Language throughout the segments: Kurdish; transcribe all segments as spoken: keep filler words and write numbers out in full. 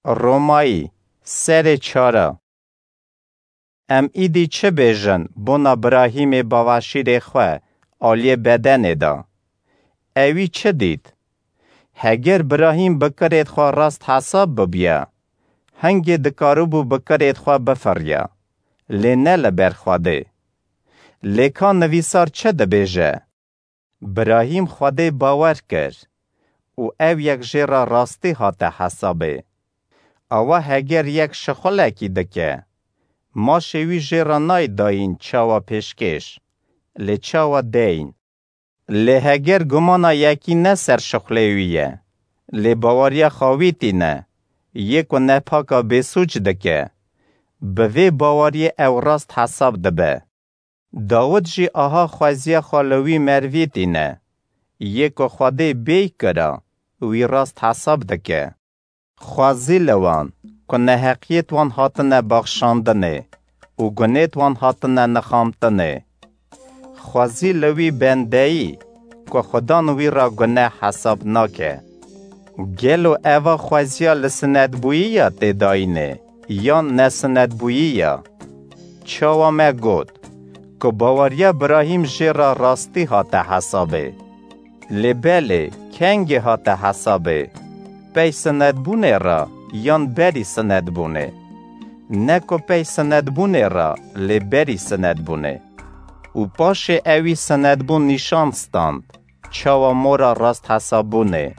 Romayî, serê çara. Em îdî çi bêjin bona Birahîmê baweşîrê xwe aliyê bedenê de? Ewî çi dît? Heger Birahîm bi kirêt xwe rast hesab bibiya, hingê dikaribû bi kirêt xwe bifiriya, lê ne li ber Xwedê. Lê ka nivîsar çi dibêje? Birahîm Xwedê bawer kir û ew yek jê re rastî hate hesabê. Awa heger yek şixulekî dike, maşê wî jê re nayê dayîn çawa pêşkêş, lê çawa deyn. Lê heger gumana yekî ne ser şixulê wî ye, lê baweriya xwe wî tîne, yê ku nepaka bêsûc dike, bi vê baweriyê ew rast hesab dibe. Dawid jî aha xweziya xwe li wî merivî tîne, yê ku Xwedê bêy kira, wî rast hesab dike. Xwezî li wan ku neheqiyêt wan hatine baxşandinê û gunêt wan hatine nixamtinê. Xwezî li wî bendeyî ku Xudan wî re guneh hesab nake. Gelo eva xweziya li sinetbûyî ya tê dayînê yan nesinetbûyî ya? Çawa me got ku baweriya Birahîm jê re rastî hate hesabê. Lê belê, kengê hate hesabê? Pey sinetbûnê re yan berî sinetbûnê? Ne ku pey sinetbûnê re, lê berî sinetbûnê. Û paşê ewî sinetbûn nîşan stand, çawa mora rast hesabûnê,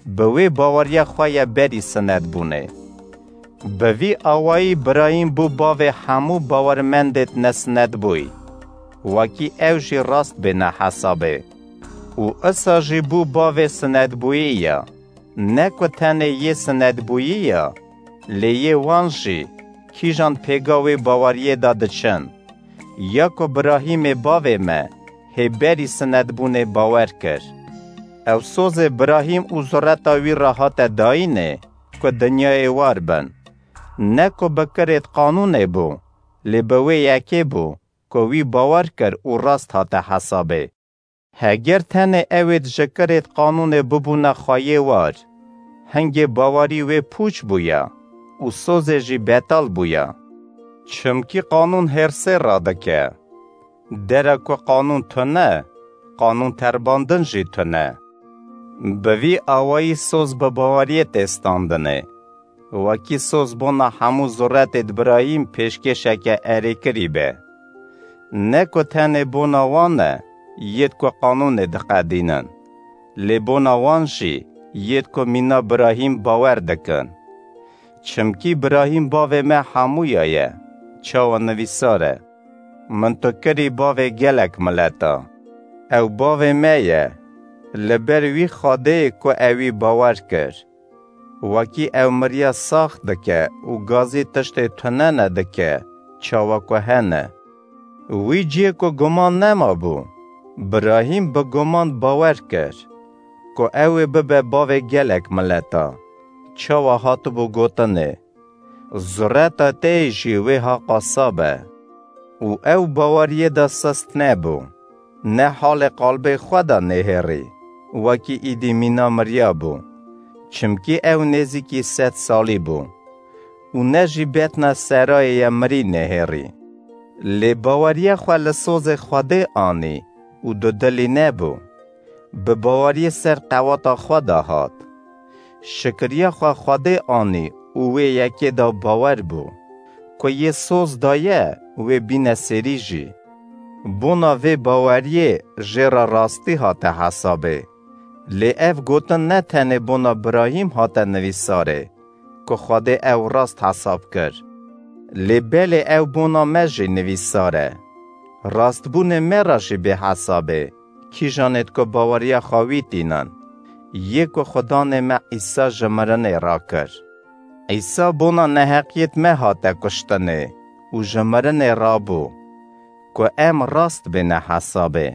bi wê baweriya xwe ya berî sinetbûnê. Bi vî awayî Birahîm bû bavê hemû bawermendêt nesinetbûyî, wekî ew jî rast bêne hesabê. Û isa jî bû bavê sinetbûyî ya, ne ku tenê yê sinetbûyî ya, lê yê wan jî kîjan pêga wê baweriyê de diçin. Ya ku Birahîmê bavê me hê berî sinetbûnê bawer kir. Ew sozê Birahîm û zureta wî re hate dayînê ku dinyayê war bin. Ne ku bi kirêt qanûnê bû, lê bi wê yekê bû ku wî bawer kir û rast hate hesabê. Heger tenê ewêd ji kirêt qanûnê bibûna xweyê war, hingê bawerî wê pûç bûya û sozê jî betal bûya. Çimkî qanûn hêrsê radike. Dera ku qanûn tune, qanûn terbandin jî tune. Bi vî awayî soz bi baweriyê tê standinê. Wekî soz bona hemû zuretêd Birahîm pêşkêşeke erêkirî be. Ne ku tenê bona wan e, yêd ku qanûnê diqedînin, lê bona wan jî yêd ku mîna Birahîm bawer dikin. Çimkî Birahîm bavê me hemûya ye, çawa nivîsar e: Min tu kirî bavê gelek mileta. Ew bavê me ye, li ber wî Xwedê ku ewî bawer kir. Wekî ew miriya sax dike û gazî tiştê tunene dike, çawa ku hene. Wî cihê ku guman nemabû, Birahîm bi guman bawer kir, ku ew ê bibe bavê gelek mileta, çawa hatibû gotinê: Zureta te jî wê ha qasa be. Û ew baweriyê de sist nebû. Ne halê qalbê xwe de nêhêrî, wekî îdî mîna miriya bû, çimkî ew nêzîkî sed salî bû, û ne jî betna serayê ye mirî nêhêrî. Lê baweriya xwe li sozê Xwedê anî û dudilî nebû. Bi baweriyê ser qewata xwe de hat. Şikiriya xwe Xwedê anî û wê yekê de bawer bû, ku yê soz daye wê bîne serî jî. Bona vê baweriyê jê re rastî hate hesabê. Lê ev gotin ne tenê bona Birahîm hate nivîsarê, ku Xwedê ew rast hesab kir. Lê belê ew bona me jî nivîsar e. Rastbûnê me re jî bê hesabê, kîjanêd ku baweriya xwe wî tînin, yê ku Xudanê me Îsa ji mirinê rakir. Îsa bona neheqiyêt me hate kuştinê û ji mirinê rabû, ku em rast bêne hesabê.